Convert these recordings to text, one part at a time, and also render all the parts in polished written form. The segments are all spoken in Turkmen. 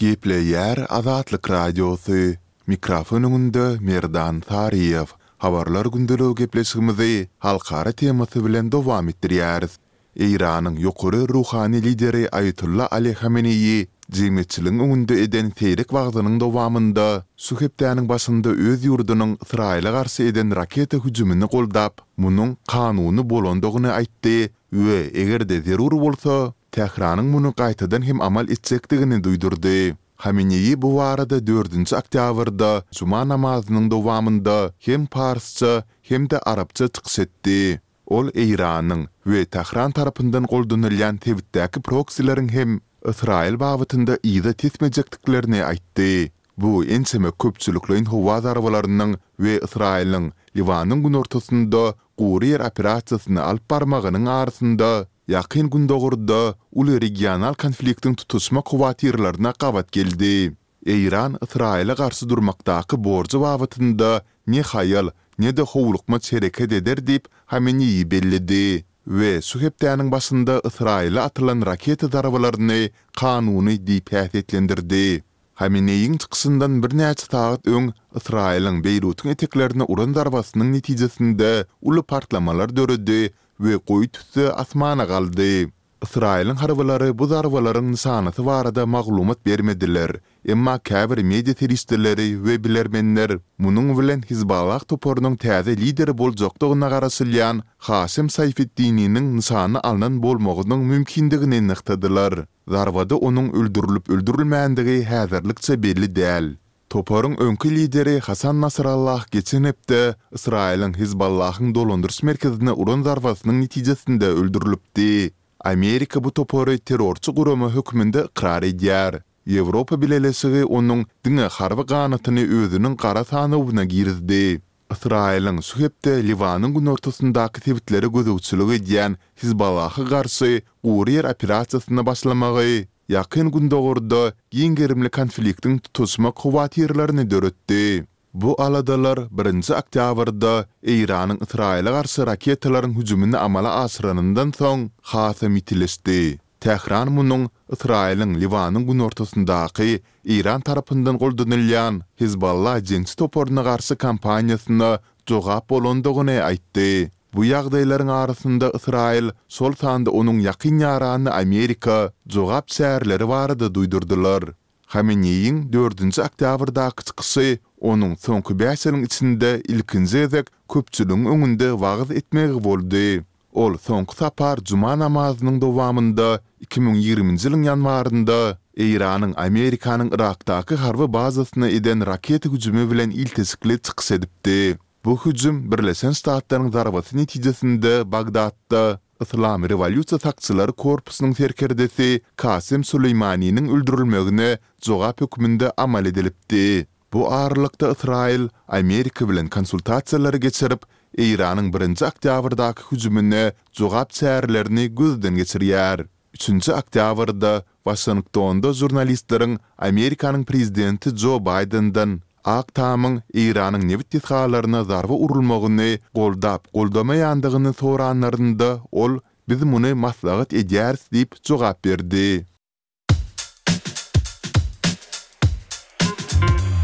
Gepleýär Azatlyk Radiosy, Mikrofon öňünde Merdan Saryýew. Habarlar gündeligi gepleşigimizi halkara temasy bilen dowam etdirýäris. Eýranyň ýokary ruhany lideri Aýatolla Ali Hameneýi jemgyýetçiligiň öňünde eden seýrek wagzynyň dowamynda şu hepdäniň başynda öz ýurdunyň Ysraýyla garşy eden raketa hüjümini goldap, munuň kanuny bolandygyny aýtdy we eger-de zerur bolsa, Tähranyň muny gaýtadan hem amal etjekdigini duýdurdy. Hameneýi bu barada dördünji oktýabrda juma namazynyň dowamynda hem parsça, hem-de arapça çykyş etdi. Ol Eýranyň we Tähran tarapyndan goldanylýan sebitdäki proksileriň hem Ysraýyl babatynda yza tesmejekdiklerini aýtdy. Bu ençeme köpçülikleýin howa zarbalarynyň we Ysraýylyň Liwanyň günortasynda gury ýer operasiýasyny alyp barmagynyň arasynda Ýakyn Gündogarda uly regional konfliktiň tutaşmak howatyrlaryna gabat geldi. Eýran Ysraýyla garşy durmakdaky borjy babatynda ne haýal, ne-de howlukmaç hereket eder diýip, Hameneýi belledi we şu hepdäniň başynda Ysraýyla atylan raketa zarbalaryny kanuny diýip häsiýetlendirdi. Hameneýiň çykyşyndan birnäçe sagat öň Ysraýylyň Beýrutyň eteklerine uran zarbasynyň netijesinde uly partlamalar döredi we goýy tüsse asmana galdy. Ysraýylyň harbylary bu zarbalaryň nyşanasy barada maglumat bermediler, emma käbir media serişdeleri we bilermenler munuň bilen Hizballah toparynyň täze lideri boljakdygyna garaşylýan Haşem Saýfeddininiň nyşana alnan bolmagynyň mümkindigini nygtadylar. Zarbada onuň öldürilip-öldürilmändigi häzirlikçe belli däl. Toparyň öňki lideri Hasan Nasrallah geçen hepde Ysraýylyň Hizballahyň dolandyryş merkezine uran zarbasynyň netijesinde öldürilipdi. Amerika bu topary terrorçy gurama hökmünde ykrar edýär. Ýewropa Bileleşigi onuň diňe harby ganatyny özüniň gara sanawyna girizdi. Ysraýylyň şu hepde Liwanyň günortasyndaky sebitlere gözegçilik edýän Hizballaha garşy gury ýer operasiýasyna başlamagy Ýakyn Gündogarda giň gerimli konfliktiň tutaşmak howatyrlaryny döretdi. Bu aladalar birinji oktýabrda Eýranyň Ysraýyla garşy raketalaryň hüjümini amala aşyranyndan soň hasam ýitileşdi. Tähran munuň Ysraýylyň Liwanyň günortasyndaky Eýran tarapyndan goldanylýan Hezbollah jeňçi toparyna garşy kampaniýasyna jogap bolandygyny aýtdy. Bu ýagdaýlaryň arasynda Ysraýyl, şol sanda onuň ýakyn ýarany Amerika jogap çäreleri barada duýdurdylar. Hameneýiň dördünji oktýabrdaky çykyşy onuň soňky bäş ýylyň içinde ilkinji gezek köpçüligiň öňünde wagyz etmegi boldy. Ol soňky sapar juma namazynyň dowamynda 2020-nji ýylyň ýanwarynda Eýranyň Amerikanyň Yrakdaky harby bazasyna eden raketa hüjümi bilen ilteşikli çykyş edipdi. Bu hüjüm Birleşen Ştatlaryň zarbasy netijesinde Bagdatda Yslam rewolýusiýa sakçylary korpusynyň serkerdesi Kasem Süleýmaniniň öldürilmegine jogap hökmünde amal edilipdi. Bu aralykda Ysraýyl Amerika bilen konsultasiýalary geçirip, Eýranyň birinji oktýabrdaky hüjümine jogap çärelerini gözden geçirýär. Üçünji oktýabrda Waşingtonda žurnalistleriň Amerikanyň prezidenti Jo Baýdenden Ak Tamyň Eýranyň nebit desgalaryna zarba urulmagyny goldap-goldamaýandygyny soranlarynda ol Biz muny maslahat edýäris diýip jogap berdi.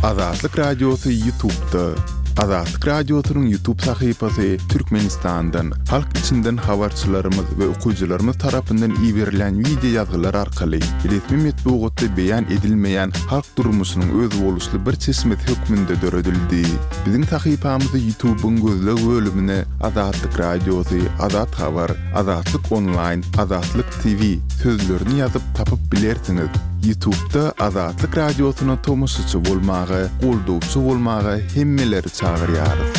Azatlyk Radiosy Ýutubda. Azatlyk Radiosynyň Ýutub sahypasy Türkmenistandan, halk içinden habarçylarymyz we okyjylarymyz tarapyndan iberilen wideo ýazgylar arkaly resmi metbugatda beýan edilmeýän halk durmuşynyň özboluşly bir çeşmesi hökmünde döredildi. Biziň sahypamyzy Ýutubyň gözleg bölümine Azatlyk Radiosy, Azat Habar, Azatlyk Onlaýn, Azatlyk TV sözlerini ýazyp tapyp bilersiňiz. Ýutubda Azatlyk Radiosyna tomaşaçy bolmaga, goldawçy bolmaga hemmeleri çagyrýarys.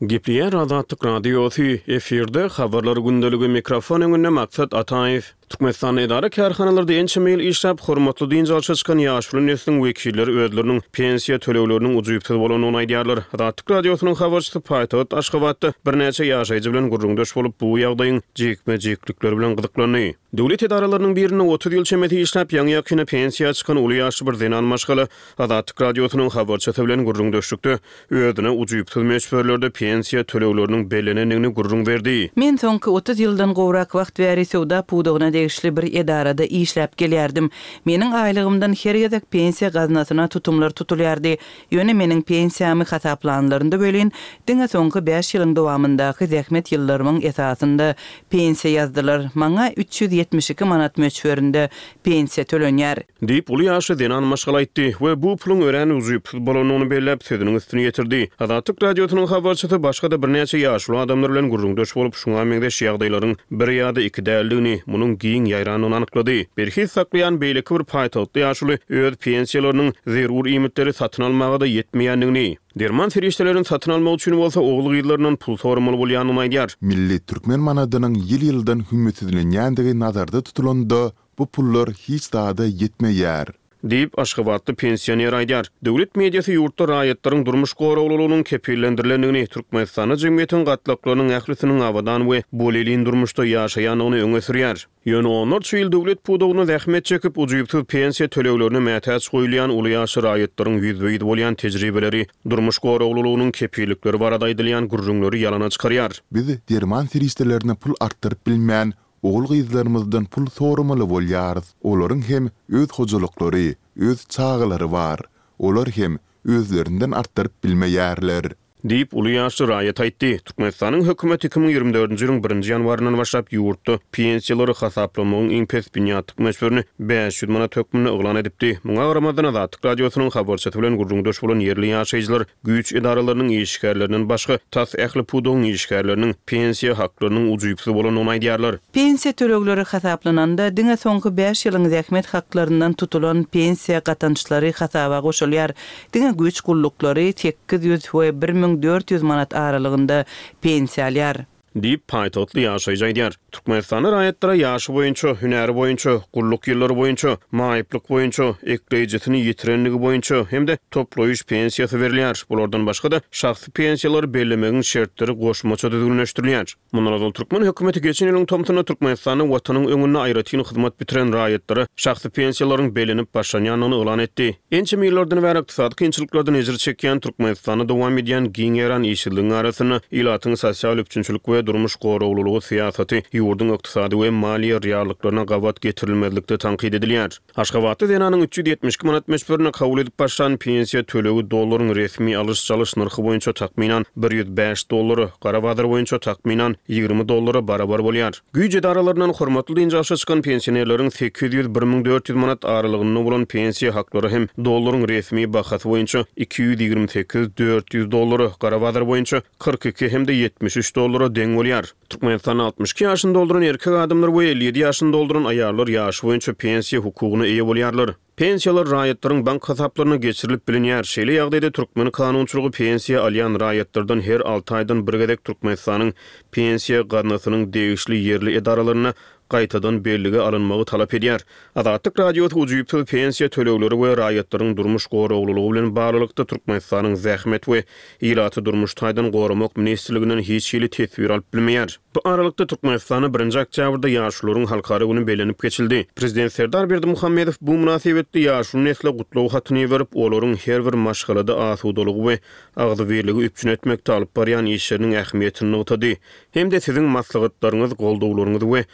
Gepleýär Azatlyk Radiosy, efirde Habarlar gündeligi, mikrofon öňünde Maksat Ataýew. Türkmenistanda edara-kärhanalarda ençeme ýyl işläp, hormatly dynç alşa çykan ýaşuly nesliň wekilleri özleriniň pensiýa tölegleriniň ujypsyz bolandygyny aýdýarlar. Azatlyk Radiosynyň habarçysy paýtagt Aşgabatda birnäçe ýaşaýjy bilen gürrüňdeş bolup, bu ýagdaýyň jikme-jiklikleri bilen gyzyklandy. Döwlet edaralarynyň birinde 30 ýyl çemesi işläp, ýaňy-ýakynda pensiýa çykan uly ýaşly bir zenan maşgala Azatlyk Radiosynyň habarçysy bilen gürrüňdeşlikde özüne ujypsyz möçberlerde pensiýa tölegleriniň bellenendigini gürrüň berdi. Men soňky 30 ýyldan gowrak wagt bäri söwda pudagyna. degişli bir edarada işläp gelýärdim. Meniň aýlygymdan her gezek pensiýa gaznasyna tutumlar tutulýardy. Ýöne meniň pensiýamy hasaplanlarynda welin, diňe soňky bäş ýylyň dowamyndaky zähmet ýyllarymyň esasynda pensiýa ýazdylar. Maňa 372 manat möçberinde pensiýa tölenýär. Diýip, uly ýaşly zenan maşgala aýtdy we bu puluň örän ujypsyz bolandygyny belläp, sözüniň üstüni ýetirdi. Azatlyk Radiosynyň habarçysy başga-da birnäçe ýaşuly adamlar bilen gürrüňdeş bolup, şuňa meňzeş ýagdaýlaryň bir ýa-da iki däldigini, munuň giň ýaýrandygyny anyklady. Berhiz saklaýan beýleki bir paýtagtly ýaşuly öz pensiýalarynyň zerur iýmitleri satyn almaga-da ýetmeýändigini, derman serişdelerini satyn almak üçin bolsa ogul-gyzlaryndan pul soramaly bolýandygyny aýdýar. Milli türkmen manadynyň ýyl-ýyldan hümmetsizlenýändigi nazarda tutulanda, Bu pullar hiç zada ýetmeýär. Diýip, aşgabatly pensioner aýdýar. Döwlet mediasy ýurtda raýatlaryň durmuş goraglylygynyň kepillendirilendigini, Türkmenistanda jemgyýetiň gatlaklarynyň ählisiniň abadan we bolelin durmuşda ýaşaýandygyny öňe sürýär. Ýöne onlarça ýyl döwlet pudagynda zähmet çekip, ujypsyz pensiýa töleglerine mätäç goýulýan uly ýaşly raýatlaryň ýüzbe-ýüz bolýan tejribeleri durmuş goraglylygynyň kepillikleri barada aýdylýan gürrüňleri ýalana çykarýar. Biz derman serişdelerine pul artdyryp bilmän, Ogul-gyzlarymyzdan pul soramaly bolýarys. Olaryň hem öz hojalyklary, öz çagalary bar. Olar hem özlerinden artdyryp bilmeýärler. Diýip, uly ýaşly raýat aýtdy. Türkmenistanyň hökümeti 2024-nji ýylyň birinji ýanwaryndan başlap ýurtda pensiýalary hasaplamagyň iň pes binýatlyk möçberini 500 manat hökmünde yglan edipdi. Muňa garamazdan, Azatlyk Radiosynyň habarçysy bilen gürrüňdeş bolan ýerli ýaşaýjylar Güýç edaralarynyň işgärlerinden başga, tas ähli pudagyň işgärleriniň pensiýa haklarynyň ujypsyz bolandygyny aýdýarlar. Pensiýa tölegleri hasaplananda, diňe soňky bäş ýylyň zähmet haklaryndan tutulan pensiýa gatançlary hasaba goşulýar. Diňe güýç gulluklary 800 we 1400 manat aralygynda pensiýa alýar. Diýip, paýtagtly ýaşaýjy aýdýar. Türkmenistanda raýatlara ýaşy boýunça, hünäri boýunça, gulluk ýyllary boýunça, maýyplyk boýunça, ekleýjisini ýitirenligi boýunça hem-de toplaýyş pensiýasy berilýär. Bulardan başga-da, şahsy pensiýalary bellemegiň şertleri goşmaça düzgünleşdirilýär. Mundan ozal türkmen hökümeti geçen ýylyň tomsunda Türkmenistanda Watanyň öňünde aýratyn hyzmat bitiren raýatlara şahsy pensiýalaryň bellenip başlanýandygyny yglan etdi. Ençeme ýyllardan bäri ykdysady kynçylyklardan ejir çekýän Türkmenistanda dowam edýän giň ýaýran işsizligiň arasynda ilatyň sosial üpjünçilik we durmuş goraglylygy syýasaty ýurduň ykdysady we maliýe reallyklaryna gabat getirilmezlikde tankyt edilýär. Aşgabatda zenanyň 372 manat möçberinde kabul edip başlan pensiýa tölegi dollaryň resmi alyş-çalyş nyrhy boýunça takmynan 105 dollara, gara bazar boýunça takmynan 20 dollara barabar bolýar. Güýç edaralaryndan hormatly dynç alşa çykan pensionerleriň 800, 1400 manat aralygynda bolan pensiýa haklary hem dollaryň resmi bahasy boýunça 228, 400 dollara, gara bazar boýunça 42 hem-de 73 dollara deň bolýar. Türkmenistanda 62 ýaşyny dolduran erkek adamlar we 57 ýaşyny dolduran aýallar ýaşy boýunça pensiýa hukugyna eýe bolýarlar. Pensiýalar raýatlaryň bank hasaplaryna geçirilip bilinýär. Şeýle ýagdaýda türkmen kanunçylygy pensiýa alýan raýatlardan her alty aýdan bir gezek Türkmenistanyň Pensiýa gaznasynyň degişli ýerli edaralarynda gaýtadan bellige alynmagy talap edýär. Azatlyk Radiosy ujypsyz pensiýa tölegleri we raýatlaryň durmuş goraglylygy bilen baglylykda Türkmenistanyň Zähmet we ilaty durmuş taýdan goramak ministrliginden hiç hili teswir alyp bilmeýär. Bu aralykda, Türkmenistanda birinji oktýabrda Ýaşulularyň halkara güni bellenip geçildi. Prezident Serdar Berdimuhamedow bu mynasybetli ýaşuly nesle gutlag hatyny iberip, olaryň her bir maşgalada asudalygy we agzybirligi üpjün etmekde alyp barýan işleriniň ähmiýetini nygtady hem-de siziň maslahatlaryňyz, goldawlaryňyz we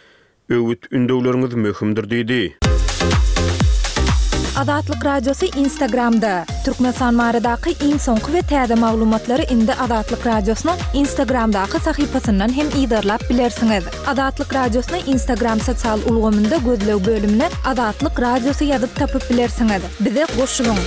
Öwüt-ündewleriňiz möhümdir diýdi. Azatlyk Radiosy Instagramda, Türkmenistan baradaky iň soňky we täze maglumatlary indi Azatlyk Radiosynyň Instagramdaky sahypasyndan hem yzarlap bilersiňiz. Azatlyk Radiosyny Instagram sosial ulgamynda gözleg bölümine Azatlyk Radiosy ýazyp tapyp bilersiňiz. Bize goşulyň!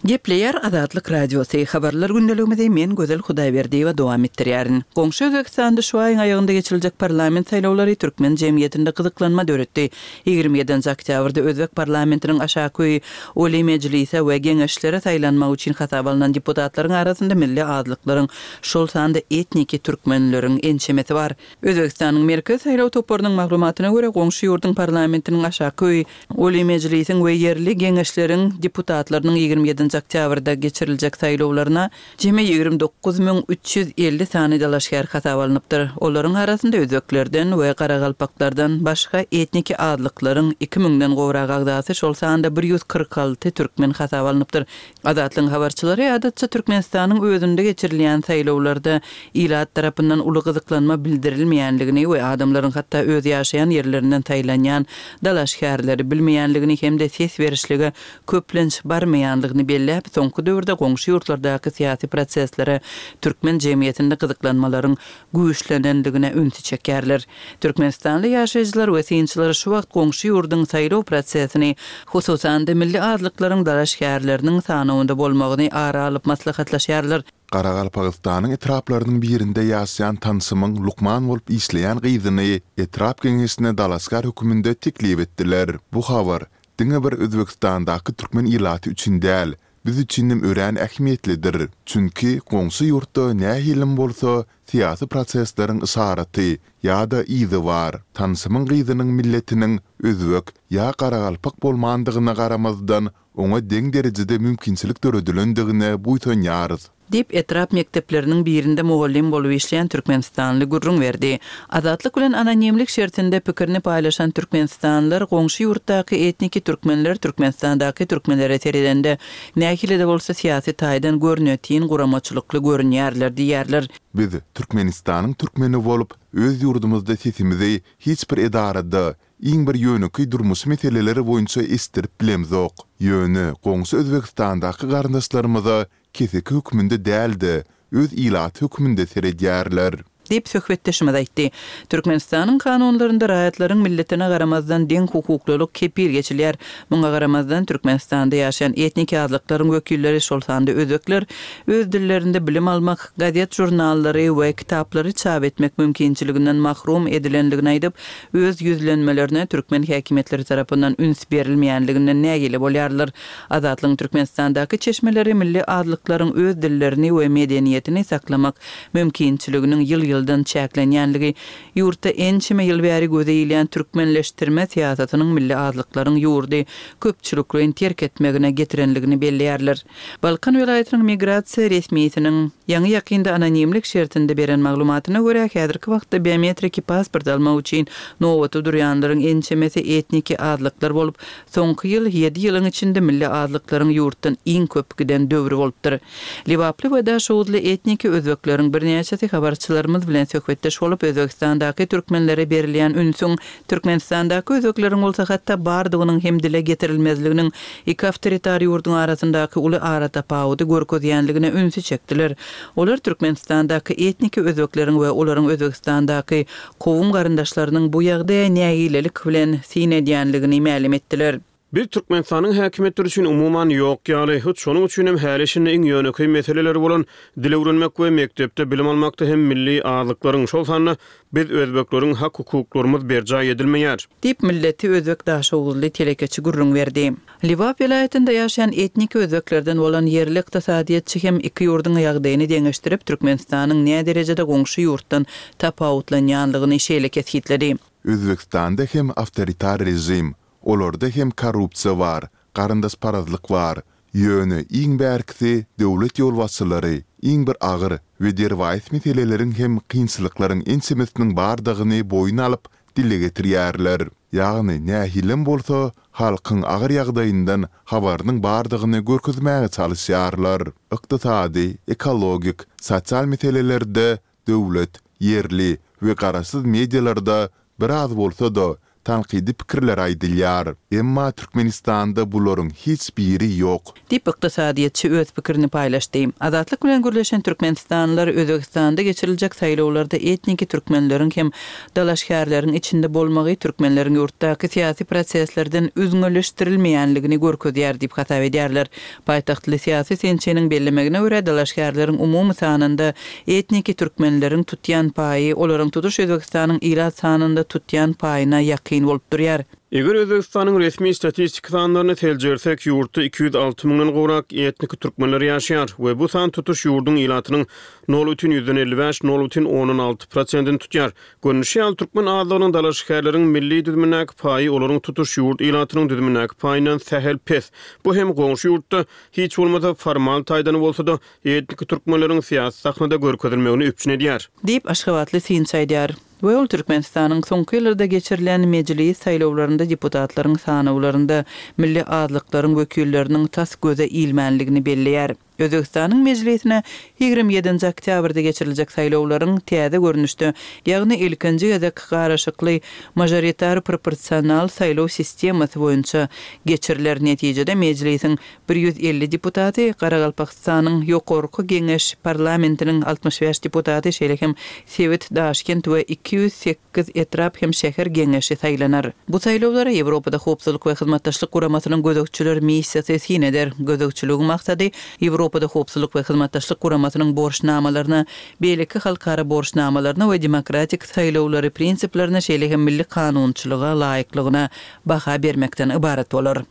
Gepleýär Azatlyk Radiosy, Habarlar gündeligimizi men Gözel Hudaýberdiýewa dowam etdirýärin. Goňşy Özbegistanda şu aýyň aýagynda geçiriljek parlament saýlawlary türkmen jemgyýetinde gyzyklanma döretdi. 27-nji oktýabrda özbek parlamentiniň aşaky öýi Oliý Mejlise we Geňeşlere saýlanmak üçin hasaba alnan deputatlaryň arasynda milli azlyklaryň, şol sanda etniki türkmenleriň ençemesi bar. Özbegistanyň Merkezi saýlaw toparynyň maglumatyna görä, goňşy ýurduň parlamentiniň aşaky öýi Oliý Mejlisiň we ýerli Geňeşleriň deputatlarynyň 27-nji. nji oktýabrda geçiriljek saýlawlaryna jemi 29 350 sany dalaşgär hasaba alnypdyr. Olaryň arasynda özbeklerden we garagalpaklardan başga etniki azlyklaryň iki müňden gowrak agzasy, şol sanda 146 türkmen hasaba alnypdyr. Azatlygyň habarçylary adatça Türkmenistanyň özünde geçirilýän saýlawlarda ilat tarapyndan uly gyzyklanma bildirilmeýänligini we adamlaryň hatda öz ýaşaýan ýerlerinden saýlanýan dalaşgärleri bilmeýänligini hem-de ses berişlige köplenç barmaýanlygyny belläp, soňky döwürde goňşy ýurtlardaky syýasy proseslere türkmen jemgyýetinde gyzyklanmalaryň güýçlenendigine ünsi çekýärler. Türkmenistanly ýaşaýjylar we synçylar şu wagt goňşy ýurduň saýlaw prosesini, hususan-da milli azlyklaryň dalaşgärleriniň sanawynda bolmagyny ara alyp maslahatlaşýarlar. Garagalpagystanyň etraplarynyň birinde ýaşaýan tanşymyň lukman bolup işleýän gyzyny etrap geňeşine dalaşgär höküminde teklip etdiler. Bu habar diňe bir Özbegistandaky türkmen ilaty üçin däl, biz üçinem örän ähmiýetlidir. Çünki goňşy ýurtda nähilem bolsa syýasy prosesleriň yşaraty ýa-da yzy bar. Tanşymyň gyzynyň milletiniň özbek ýa garagalpak bolmandygyna garamazdan, oňa deň derejede mümkinçilik döredilendigine buýsanýarys. Diýip, etrap mekdepleriniň birinde mugallym bolup işleýän türkmenistanly gürrüň berdi. Azatlyk bilen anonimlik şertinde pikirini paýlaşan türkmenistanlylar goňşy ýurtdaky etniki türkmenler Türkmenistandaky türkmenlere seredende, nähili-de bolsa syýasy taýdan görnetin guramaçylykly görünýärler diýýärler. Biz Türkmenistanyň türkmeni bolup, öz ýurdumyzda sesimizi hiç bir edarada, iň bir ýönekeý durmuşy meseleler boýunça eşitdirip bilemzok. Ýöne goňşy Özbegistandaky garyndaşlarymyza keseki hökmünde däl-de, öz ilaty hökmünde seredýärler. Diýip, söhbetdeşimiz aýtdy. Türkmenistanyň kanunlarynda raýatlaryň milletine garamazdan deň hukuklylyk kepil geçilýär. Muňa garamazdan, Türkmenistanda ýaşaýan etniki azlyklaryň wekilleri, şol sanda özbekler öz dillerinde bilim almak, gazet-žurnallary we kitaplary çap etmek mümkinçiliginden mahrum edilendigini aýdyp, öz ýüzlenmelerine türkmen häkimiýetleri tarapyndan üns berilmeýänliginden nägile bolýarlar. Azatlygyň Türkmenistandaky çeşmeleri milli azlyklaryň öz dillerini we medeniýetini saklamak mümkinçiliginiň ýyl-ýyldan çäklenýänligi, ýurtda ençeme ýyl bäri göze ilýän türkmenleşdirme syýasatynyň milli azlyklaryň ýurdy köpçülikleýin terk etmegine getirenligini belleýärler. Balkan welaýatynyň migrasiýa resmisiniň ýaňy-ýakynda anonimlik şertinde beren maglumatyna görä, häzirki wagtda biometriki pasport almak üçin nobata durýanlaryň ençemesi etniki azlyklar bolup, soňky ýyl ýedi ýylyň içinde milli azlyklaryň ýurtdan iň köp giden döwri bolupdyr. Lebaply we daşoguzly etniki özbekleriň birnäçesi habarçylarymyz bilen söhbetdeş bolup, Özbegistandaky türkmenlere berilýän ünsüň Türkmenistandaky özbekleriň bolsa hatda bardygynyň hem dile getirilmezliginiň iki awtoritar ýurduň arasyndaky uly aratapawudy görkezýänligine ünsi çekdiler. Olar Türkmenistandaky etniki özbekleriň we olaryň Özbegistandaky kowum garyndaşlarynyň bu ýagdaýa nägilelik bilen syn edýänligini mälim etdiler. Biz Türkmenistanyň häkimiýetleri üçin umuman ýok ýaly. Hut şonuň üçin hem häli-şindi iň ýönekeý meseleleri bolan dil öwrenmek we mekdepde bilim almakda hem milli azlyklaryň, şol sanda biz özbekleriň hak-hukuklarymyz berjaý edilmeýär. Diýip, milleti özbek daşoguzly telekeçi gürrüň berdi. Lebap welaýatynda ýaşaýan etniki özbeklerden bolan ýerli ykdysadyýetçi hem iki ýurduň ýagdaýyny deňeşdirip, Türkmenistanyň näderejede goňşy ýurtdan tapawutlanýanlygyny şeýle kesgitledi. Özbegistanda hem awtoritar režim, Olarda hem korrupsiýa bar, garyndaşparazlyk bar. Ýöne iň bärkisi döwlet ýolbaşçylary iň bir agyr we derwaýys meseleleriň hem kynçylyklaryň ençemesiniň bardygyny boýun alyp, dile getirýärler. Ýagny nähilem bolsa halkyň agyr ýagdaýyndan habarynyň bardygyny görkezmäge çalyşýarlar. Ykdysady, ekologik, sosial meselelerde döwlet, ýerli we garaşsyz medialarda biraz bolsa-da, tankydy pikirler aýdylýar. Emma Türkmenistanda bularyň hiç biri ýok. Diýip, ykdysadyýetçi öz pikirini paýlaşdy. Azatlyk bilen gürleşen türkmenistanlylar Özbegistanda geçiriljek saýlawlarda etniki türkmenleriň hem dalaşgärleriň içinde bolmagy türkmenleriň ýurtdaky syýasy proseslerden üzňeleşdirilmeýänligini görkezýär diýip hasap edýärler. Paýtagtly syýasy synçynyň bellemegine görä, dalaşgärleriň umumy sanynda etniki türkmenleriň tutýan paýy olaryň tutuş Özbegistanyň ilat sanynda tutýan paýyna ýakyn bolup durýar. Eger Özbegistanyň resmi statistiki sanlaryny seljersek, ýurtda 206 müňden gowrak etniki türkmenler ýaşaýar we bu san tutuş ýurduň ilatynyň nol bütin ýüzden 55, nol bütin ondan alty prosentini tutýar. Görnüşi ýaly, türkmen azlygynyň dalaşgärleriň milli düzümindäki paýy olaryň tutuş ýurt ilatynyň düzümindäki paýyndan sähel pes. Bu hem goňşy ýurtda, hiç bolmasa formal taýdan bolsa-da, etniki türkmenleriň syýasy sahnada görkezilmegini üpjün edýär. Diýip, aşgabatly synçy aýdýar. We ol Türkmenistanyň soňky ýyllarda geçirilen Mejlis saýlawlarynda deputatlaryň sanawlarynda milli azlyklaryň wekilleriniň tas göze ilmänligini belleýär. Özbegistanyň Mejlisine 27-nji oktýabrda geçiriljek saýlawlaryň täze görnüşde, ýagny ilkinji gezek garyşykly mažoritar-proporsional saýlaw sistemasy boýunça geçiriler. Netijede Mejlisiň 150 deputaty, Garagalpagystanyň Ýokarky Geňeş parlamentiniň 65 deputaty, şeýle hem sebit, Daşkent we 208 etrap hem şäher geňeşi saýlanar. Bu saýlawlara Ýewropada Howpsuzlyk we Hyzmatdaşlyk Guramasynyň gözegçiler missiýasy syn eder. Gözegçiligiň maksady Ýewropada Howpsuzlyk we Hyzmatdaşlyk Guramasynyň borçnamalaryna, beýleki halkara borçnamalaryna we demokratik saýlawlary prinsiplerine, şeýle hem milli kanunçylyga laýyklygyna baha bermekden ybarat bolar.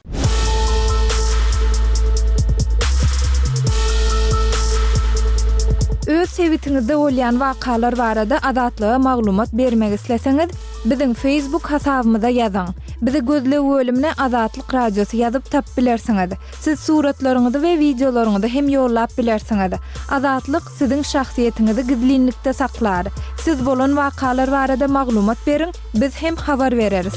Öz sebitiňizde bolýan wakalar barada Azatlyga maglumat bermek isleseňiz, biziň Facebook hasabymyza ýazyň. Bizi gözleg bölümine Azatlyk Radiosy ýazyp tapyp bilersiňiz. Siz suratlaryňyzy we wideolaryňyzy hem ýollap bilersiňiz. Azatlyk siziň şahsyýetiňizi gizlinlikde saklar. Siz bolan wakalar barada maglumat beriň, Biz hem habar bereris.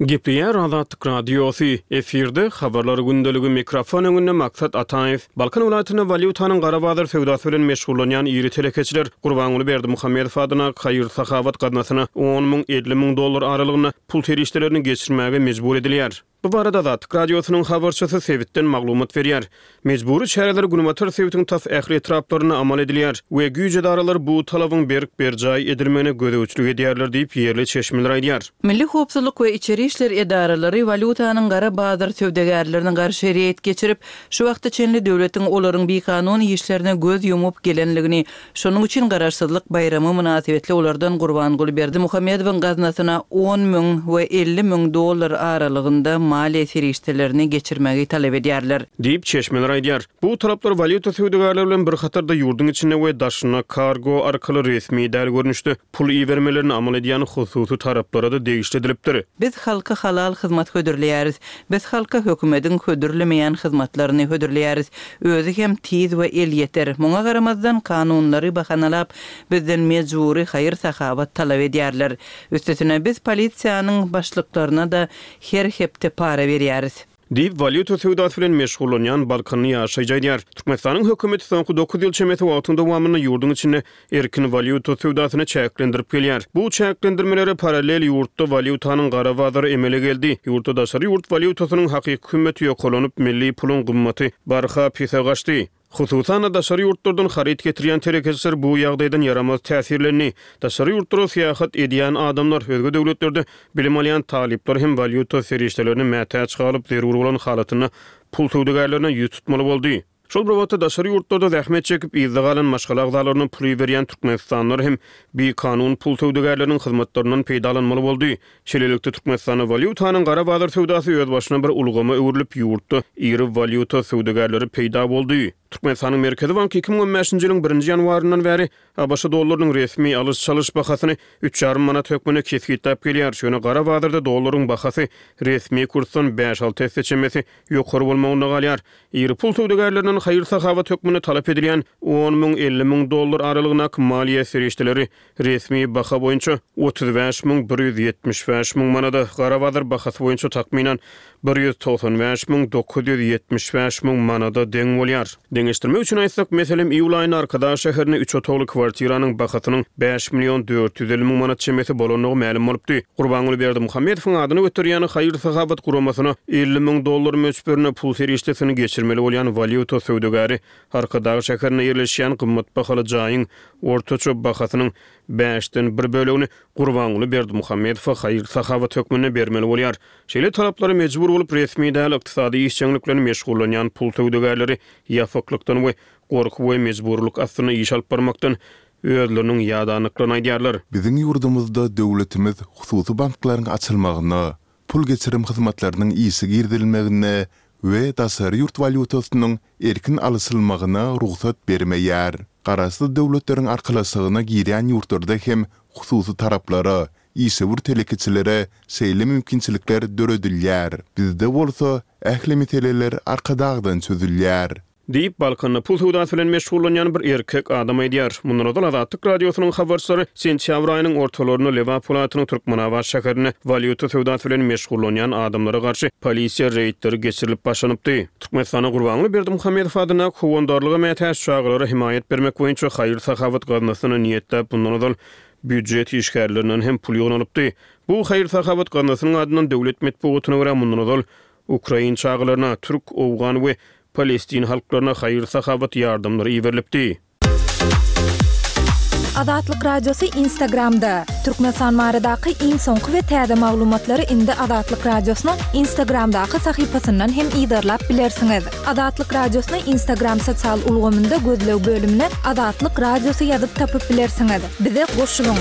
Gepleýär Azatlyk Radiosy, efirde Habarlar gündeligi, mikrofon öňünde Maksat Ataýew. Balkan welaýatynda walýutanyň gara bazar söwdasy bilen meşgullanýan iri telekeçiler Gurbanguly Berdimuhamedow adyndaky haýyr-sahawat gaznasyna on müň, 50 müň dollar aralygynda pul serişdelerini geçirmäge mejbur edilýär. Bu barada Azatlyk Radiosynyň habarçysy sebitden maglumat berýär. Mejbury çäreler günbatar sebitiň tas ähli etraplarynda amal edilýär we güýç edaralary bu talabyň berk berjaý edilmegine gözegçilik edýärler diýip, ýerli çeşmeler aýdýar. Milli howpsuzlyk we içeri işler edaralary walýutanyň gara bazar söwdagärlerine garşy reýd geçirip, şu wagta çenli döwletiň olaryň bikanun işlerine göz ýumup gelenligini Şonuň üçin Garaşsyzlyk baýramy mynasybetli olardan Gurbanguly Berdimuhamedowyň gaznasyna on müň we 50 müň dollar aralygynda maliýe serişdelerini geçirmegi talap edýärler. Diýip, çeşmeler aýdýar. Bu talaplar walýuta söwdagärleri bilen bir hatarda ýurduň içinde we daşynda kargo arkaly resmi däl görnüşde pul ibermelerini amal edýän hususy taraplara-da degişli edilipdir. Biz halka halal hyzmat hödürleýäris. Biz halka hökümediň hödürlemeýän hyzmatlaryny hödürleýäris. Özi hem tiz we elýeter. Muňa garamazdan, kanunlary bahanalap, bizden mejbury haýyr-sahawat talap edýärler. Üstesine, biz polisiýanyň başlyklaryna-da her hepde para berýäris. Diýip, walýuta söwdasy bilen meşgullanýan balkanly ýaşaýjy aýdýar. Türkmenistanyň hökümeti soňky dokuz ýyl çemesi wagtyň dowamynda ýurduň içinde erkin walýuta söwdasyny çäklendirip gelýär. Bu çäklendirmelere parallel ýurtda walýutanyň gara bazary emele geldi. Ýurtda daşary ýurt walýutasynyň hakyky hümmeti ýokarlanyp, milli puluň gymmaty barha pese gaçdy. Hususan-da, daşary ýurtlardan haryt getirýän telekeçiler bu ýagdaýdan ýaramaz täsirlendi. Daşary ýurtlara syýahat edýän adamlar, özge döwletlerde bilim alýan talyplar hem walýuta serişdelerine mätäç galyp, zerur bolan halatynda pul söwdagärlerine ýüz tutmaly boldy. Şol bir wagtda, daşary ýurtlarda zähmet çekip, yzda galan maşgala agzalaryna pul iberýän türkmenistanlylar hem bikanun pul söwdagärleriniň hyzmatlaryndan peýdalanmaly boldy. Şeýlelikde, Türkmenistanda walýutanyň gara bazar söwdasy özbaşyna bir ulgama öwrülip, ýurtda iri walýuta söwdagärleri peýda boldy. Türkmenistanyň Merkezi banky 2015-nji ýylyň birinji ýanwaryndan bäri ABŞ dollarynyň resmi alyş-çalyş bahasyny üç ýarym manat hökmünde kesgitläp gelýär. Ýöne gara bazarda dollaryň bahasy resmi kursdan bäş-alty esse çemesi ýokary bolmagynda galýar. Iri pul söwdagärlerinden haýyr-sahawat hökmünde talap edilýän on müň, 50 müň dollar aralygyndaky maliýe serişdeleri resmi baha boýunça 35 müň 175 müň manada, gara bazar bahasy boýunça takmynan 195 müň 975 müň manada deň bolýar. Deňeşdirmek üçin aýtsak, meselem, iýul aýynda Arkadag şäherinde üç otagly kwartiranyň bahasynyň bäş million 450 müň manat çemesi bolandygy mälim bolupdy. Gurbanguly Berdimuhamedowyň adyny göterýän haýyr-sahawat guramasyna 50 müň dollar möçberinde pul serişdesini geçirmeli bolýan walýuta söwdagäri Arkadag şäherinde ýerleşýän gymmat bahaly jaýyň ortaça bahasynyň bäşden bir bölegini Gurbanguly Berdimuhamedowa haýyr-sahawat hökmünde bermeli bolýar. Şeýle talaplara mejbur bolup, resmi däl ykdysady işjeňlik bilen meşgullanýan pul söwdagärleri ýapyklykdan we gorky we mejburylyk astynda iş alyp barmakdan. özleriniň ýadandyklaryny aýdýarlar. Biziň ýurdumyzda döwletimiz hususy banklaryň açylmagyna, pul geçirim hyzmatlarynyň işe girizilmegine we daşary ýurt walýutasynyň erkin alyşylmagyna rugsat bermeýär. Garaşsyz Döwletleriň Arkalaşygyna girýän ýurtlarda hem hususy taraplara, işewür telekeçilere şeýle mümkinçilikler döredilýär. Bizde bolsa ähli meseleler Arkadagdan çözülýär. Diýip, Balkanda pul söwdasy bilen meşgullanýan bir erkek adam aýdýar. Mundan ozal Azatlyk Radiosynyň habarçylary sentýabr aýynyň ortalarynda Lebap welaýatynyň Türkmenabat şäherinde walýuta söwdasy bilen meşgullanýan adamlara garşy polisiýa reýdleri geçirilip başlanypdy. Türkmenistanda Gurbanguly Berdimuhamedow adyndaky Howandarlyga mätäç çagalara hemaýat bermek boýunça haýyr-sahawat gaznasyna niýetläp mundan ozal býujet işgärlerinden hem pul ýygnalypdy. Bu haýyr-sahawat gaznasynyň adyndan döwlet metbugatyna görä mundan ozal ukrain çagalaryna, türk, owgan we palestin halklaryna haýyr-sahawat ýardamlary iberilipdi. Azatlyk Radiosy Instagramda, Türkmenistan baradaky iň soňky we täze maglumatlary indi Azatlyk Radiosynyň Instagramdaky sahypasyndan hem yzarlap bilersiňiz. Azatlyk Radiosyny Instagram sosial ulgamynda gözleg bölümine Azatlyk Radiosy ýazyp tapyp bilersiňiz. Bize goşulyň!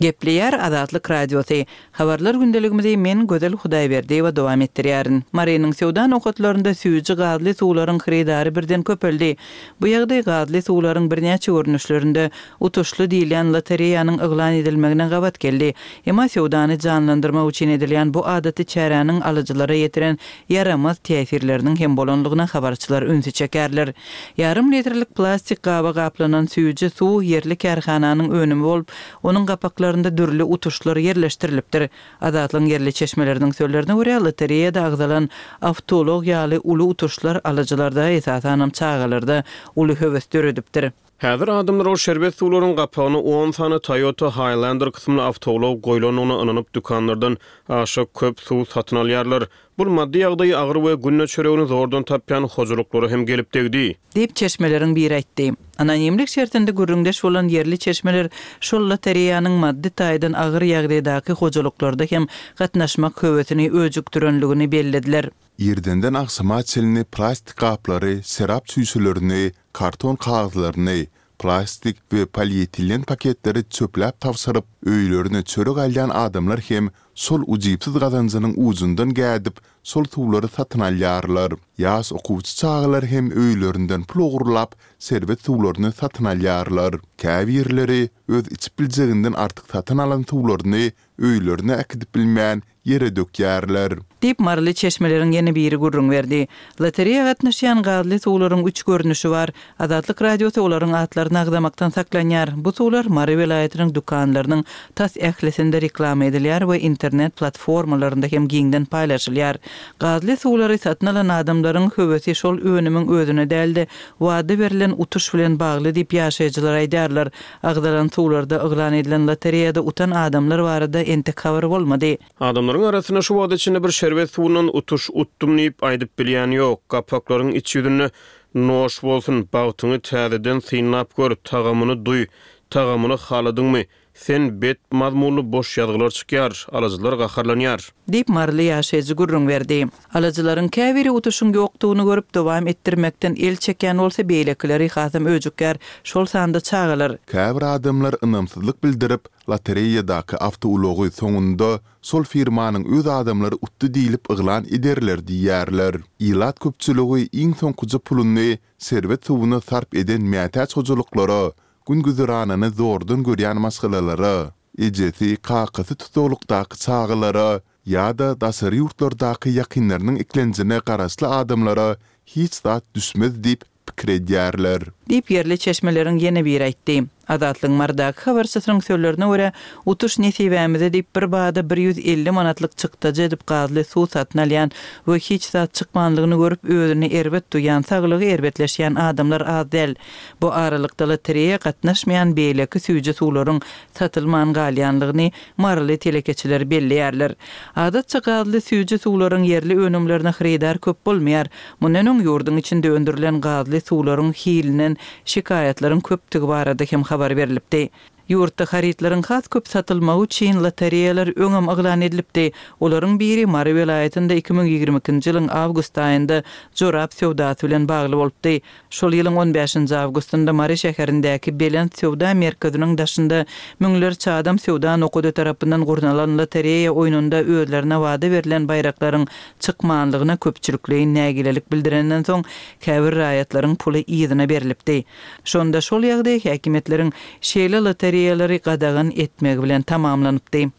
Gepleýär Azatlyk Radiosy. Habarlar gündeligimizi men, Gözel Hudaýberdiýewa dowam etdirýärin. Marynyň söwda nokatlarynda süýji gazly suwlaryň hyrydary birden köpeldi. Bu ýagdaý gazly suwlaryň birnäçe görnüşlerinde utuşly diýilýän lotereýanyň yglan edilmegine gabat geldi. Emma söwdany janlandyrmak üçin edilýän bu adaty çäräniň alyjylara ýetiren ýaramaz täsirleriniň hem bolanlygyna habarçylar ünsi çekerler. Ýarym litrlik plastik gaba gaplanan süýji suw ýerli kärhananyň önümi bolup, onuň gapaklarynda dürli utuşlar ýerleşdirilipdir. Azatlygyň ýerli çeşmeleriniň sözlerine görä, lotereýada agzalan awtoulag ýaly uly utuşlar alyjylarda, esasanam çagalarda uly höwes döredipdir. Häzir adamlar ol şerbet suwlaryň gapagyna on sany Toyota Highlander kysymly awtoulag goýlandygyna ynanyp dükanlardan aşa köp suw satyn alýarlar. Bu maddy ýagdaýy agyr we günde çöregini zordan tapýan hojalyklara hem gelip degdi. Diýip, çeşmeleriň biri aýtdy. Anonimlik şertinde gürrüňdeş bolan ýerli çeşmeler şol lotereýanyň maddy taýdan agyr ýagdaýdaky hojalyklarda hem gatnaşmak höwesini öjükdirenligini bellediler. Irdenden agşama çenli plastik gaplary, şerap çüýşelerini, karton kagyzlaryny, plastik we polietilen paketleri çöpläp tabşyryp, öýlerine çörek alýan adamlar hem şol ujypsyz gazanjynyň ujundan gädip, şol suwlary satyn alýarlar. Ýaş okuwçy çagalar hem öýlerinden pul ogurlap, şerbet suwlaryny satyn alýarlar. Käbirleri öz içip biljeginden artyk satyn alan suwlaryny öýlerine äkidip bilmän, ýere dökýärler. Diýip, maryly çeşmeleriň ýene biri gürrüň berdi. Lotereýa gatnaşýan gazly suwlaryň üç görnüşi bar. Azatlyk Radiosy olaryň atlaryny agzamakdan saklanýar. Bu suwlar Mary welaýatynyň dükanlarynyň tas ählisinde reklama edilýär we internet platformalarynda hem giňden paýlaşylýar. Gazly suwlary satyn alan adamlaryň höwesi şol önümiň özüne däl-de, wada berlen utuş bilen bagly diýip, ýaşaýjylar aýdýarlar. Agzalan suwlarda yglan edilen lotereýada utan adamlar barada entek habar bolmady. Adamlaryň arasynda şu wagta çenli bir şerbet suwundan utuş utdum diýip aýdyp bilýän ýok. Gapaklaryň iç ýüzünde Noş bolsun, bagtyňy täzeden synlap gör, tagamyny duý, tagamyny haladyňmy, sen bet mazmunly boş ýazgylar çykýar, alyjylar gaharlanýar. Diýip, maryly ýaşaýjy gürrüň berdi. Alyjylaryň käbiri utuşyň ýokdugyny görüp, dowam etdirmekden el çekýän bolsa, beýlekileri hasam öjükýär, şol sanda çagalar. Käbir adamlar ynamsyzlyk bildirip, lotereýadaky awtoulagy soňunda şol firmanyň öz adamlary utdy diýlip yglan ederler diýýärler. Ilat köpçüligi iň soňkuja puluny şerbet suwuna sarp eden mätäç hojalyklara, gün-güzeranyny zordan görýän maşgalalara, ejesi, kakasy tussaglykdaky çagalara ýa-da daşary ýurtlardaky ýakynlarynyň eklenjine garaşly adamlara hiç zat düşmez diýip pikir edýärler. Diýip, ýerli çeşmeleriň ýene biri aýtdy. Azatlygyň Marydaky habarçysynyň sözlerine görä, utuş nesibämize diýip, birbada 150 manatlyk çykdajy edip gazly suw satyn alýan we hiç zat çykmanlygyny görüp, özüni erbet duýýan, saglygy erbetleşýän adamlar az däl. Bu aralykda lotereýa gatnaşmaýan beýleki süýji suwlaryň satylman galýanlygyny maryly telekeçiler belleýärler. Adatça gazly süýji suwlaryň ýerli önümlerine hyrydar köp bolmaýar. Mundan öň ýurduň içinde öndürilen gazly suwlaryň hilinden şikaýatlaryň köpdügi barada hem habar berlipdi. Ýurtda harytlaryň has köp satylmagy üçin lotereýalar öňem yglan edilipdi. Olaryň biri Mary welaýatynda 2022-nji ýylyň awgust aýynda jorap söwdasy bilen bagly bolupdy. Şol ýylyň on bäşinji awgustynda Mary şäherindäki Belent söwda merkeziniň daşynda müňlerçe adam söwda nokady tarapyndan gurnalan lotereýa oýnunda özlerine wada berlen baýraklaryň çykmanlygyna köpçülikleýin nägilelik bildirenden soň, käbir raýatlaryň puly yzyna berlipdi. Şonda şol ýagdaý häkimiýetleriň şeýle lotereýalary gadagan etmegi bilen tamamlanypdy.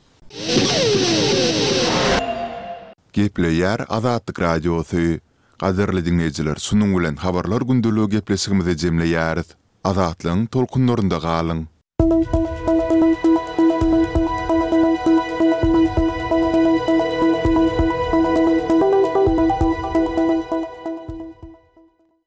Gepleýär Azatlyk Radiosy. Gadyrly diňleýjiler şunuň bilen Habarlar gündeligi gepleşigimizi jemleýäris. Azatlygyň tolkunlarynda galyň!